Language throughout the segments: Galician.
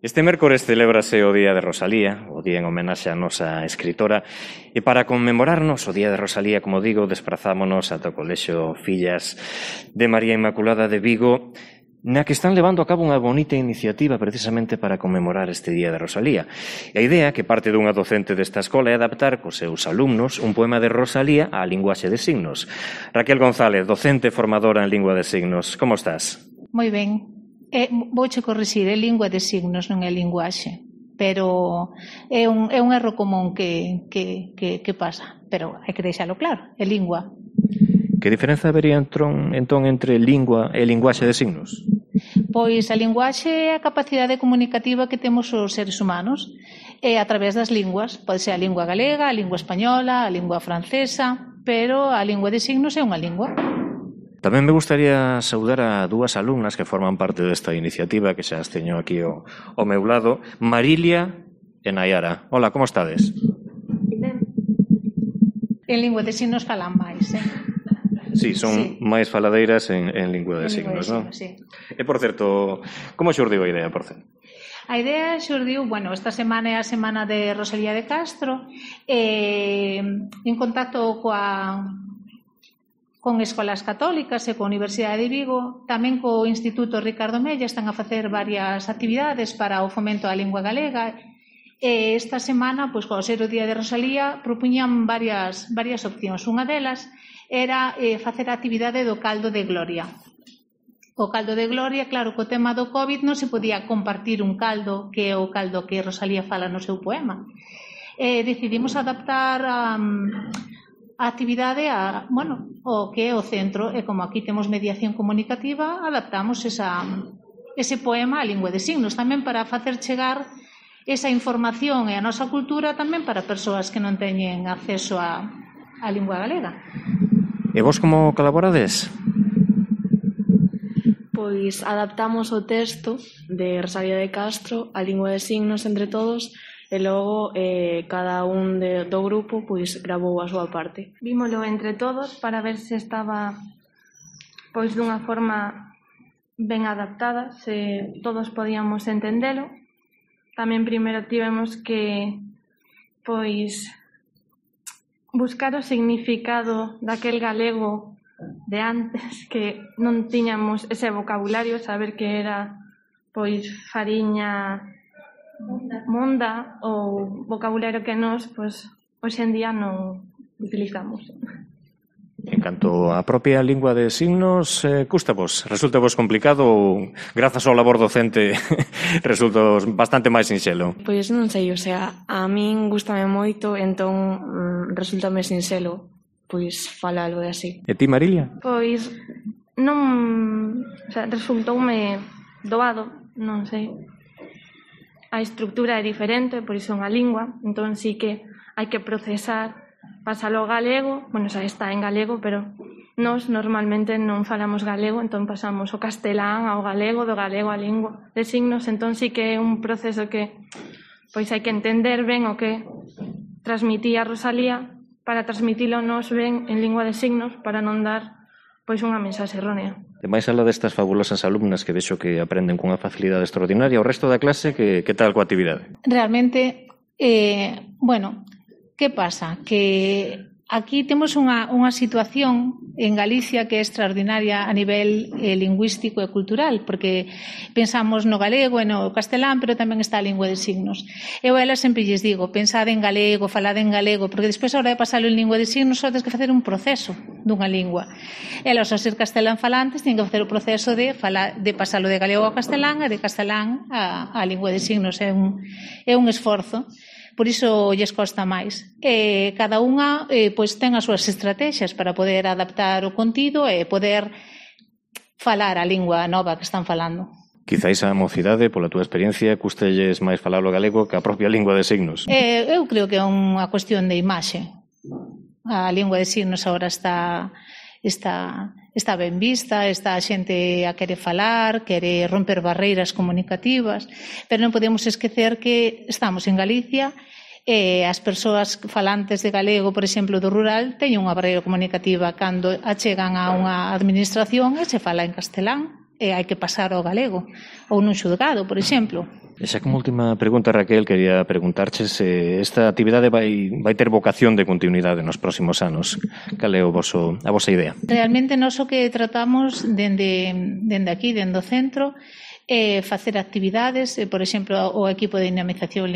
Este mércores celébrase o Día de Rosalía, o día en homenaxe á nosa escritora, e para conmemorarnos o Día de Rosalía, como digo, desprazámonos ata o Colexio Fillas de María Inmaculada de Vigo, na que están levando a cabo unha bonita iniciativa precisamente para conmemorar este Día de Rosalía. E a idea, que parte dunha docente desta escola, é adaptar cos seus alumnos un poema de Rosalía á linguaxe de signos. Raquel González, docente formadora en lingua de signos, como estás? Moi ben. Vouche corrixir, é lingua de signos, non é linguaxe, pero é un erro común que pasa, pero hai que deixalo claro, é lingua. Que diferenza habería entón entre lingua e linguaxe de signos? Pois a linguaxe é a capacidade comunicativa que temos os seres humanos a través das linguas. Pode ser a lingua galega, a lingua española, a lingua francesa, pero a lingua de signos é unha lingua. Tamén me gustaría saudar a dúas alumnas que forman parte desta iniciativa, que xa as teño aquí ao meu lado, Marilia e Nayara. Hola, como estades? Ben. En lingua de signos falan máis, Sí, son máis faladeiras en lingua de signos, non? Sí. E, por certo, como xurdiu a idea, por certo? A idea xurdiu, esta semana é a semana de Rosalía de Castro, en contacto con escolas católicas e coa Universidade de Vigo, tamén co Instituto Ricardo Mella, están a facer varias actividades para o fomento da lingua galega. E esta semana, co ser o Día de Rosalía, propuñan varias opcións. Unha delas era facer a actividade do caldo de gloria. O caldo de gloria, claro, co tema do COVID non se podía compartir un caldo, que é o caldo que Rosalía fala no seu poema. Decidimos adaptar a actividade o que é o centro, e como aquí temos mediación comunicativa, adaptamos ese poema á lingua de signos, tamén para facer chegar esa información e a nosa cultura tamén para persoas que non teñen acceso á lingua galega. E vos como colaborades? Pois adaptamos o texto de Rosalía de Castro á lingua de signos entre todos, e logo cada un do grupo gravou a súa parte. Vímolo entre todos para ver se estaba dunha forma ben adaptada, se todos podíamos entendelo. Tamén primeiro tivemos que buscar o significado daquel galego de antes, que non tiñamos ese vocabulario, saber que era fariña monda, ou vocabulario que nós hoxe en día non utilizamos. En canto á propia lingua de signos, cústavos? Resulta-vos complicado ou, grazas ao labor docente, resulta bastante máis sinxelo? Pois non sei, a min gústame moito, entón resultame sinxelo falalo e así. E ti, Marilia? Pois non, resultoume doado, non sei. A estructura é diferente, por iso é unha lingua, entón sí que hai que procesar, pasalo ao galego, xa está en galego, pero nós normalmente non falamos galego, entón pasamos o castelán ao galego, do galego á lingua de signos, entón sí que é un proceso que hai que entender ben o que transmitía Rosalía para transmitilo nós ben en lingua de signos, para non dar unha mensaxe errónea. E máis alá destas fabulosas alumnas que vexo que aprenden cunha facilidade extraordinaria, o resto da clase, que tal coa actividade? Realmente, que pasa? Que aquí temos unha situación en Galicia que é extraordinaria a nivel lingüístico e cultural, porque pensamos no galego e no castelán, pero tamén está a lingua de signos. Eu a elas sempre lles digo, pensade en galego, falade en galego, porque despois a hora de pasalo en lingua de signos só tens que facer un proceso dunha lingua. Elas, ao ser castelán falantes, teñen que facer o proceso de pasalo de galego ao castelán e de castelán á lingua de signos. É un esforzo. Por iso lles costa máis. Cada unha ten as súas estrategias para poder adaptar o contido e poder falar a lingua nova que están falando. Quizáis a mocidade, pola túa experiencia, custelles máis falar o galego que a propia lingua de signos. Eu creo que é unha cuestión de imaxe. A lingua de signos agora está ben vista, está a xente a querer falar, quere romper barreiras comunicativas, pero non podemos esquecer que estamos en Galicia e as persoas falantes de galego, por exemplo, do rural, teñen unha barreira comunicativa cando achegan a unha administración e se fala en castelán e hai que pasar ao galego, ou nun xulgado, por exemplo. E xa como última pregunta, Raquel, quería preguntarche se esta actividade vai ter vocación de continuidade nos próximos anos. Cal é a vosa idea? Realmente nós o que tratamos dende aquí, dende o centro, facer actividades, por exemplo, o equipo de dinamización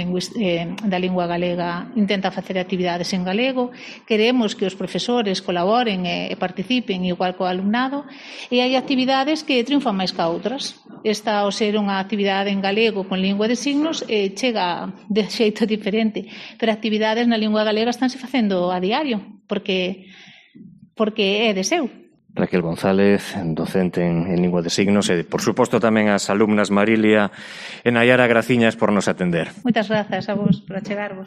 da lingua galega intenta facer actividades en galego, queremos que os profesores colaboren e participen igual co alumnado, e hai actividades que triunfan máis que outras. Esta, ao ser unha actividade en galego con lingua de signos, chega de xeito diferente, pero actividades na lingua galega estánse facendo a diario, porque é de seu. Raquel González, docente en lingua de signos, e, por suposto, tamén as alumnas Marilia e Nayara, graciñas por nos atender. Moitas grazas a vos por achegarvos.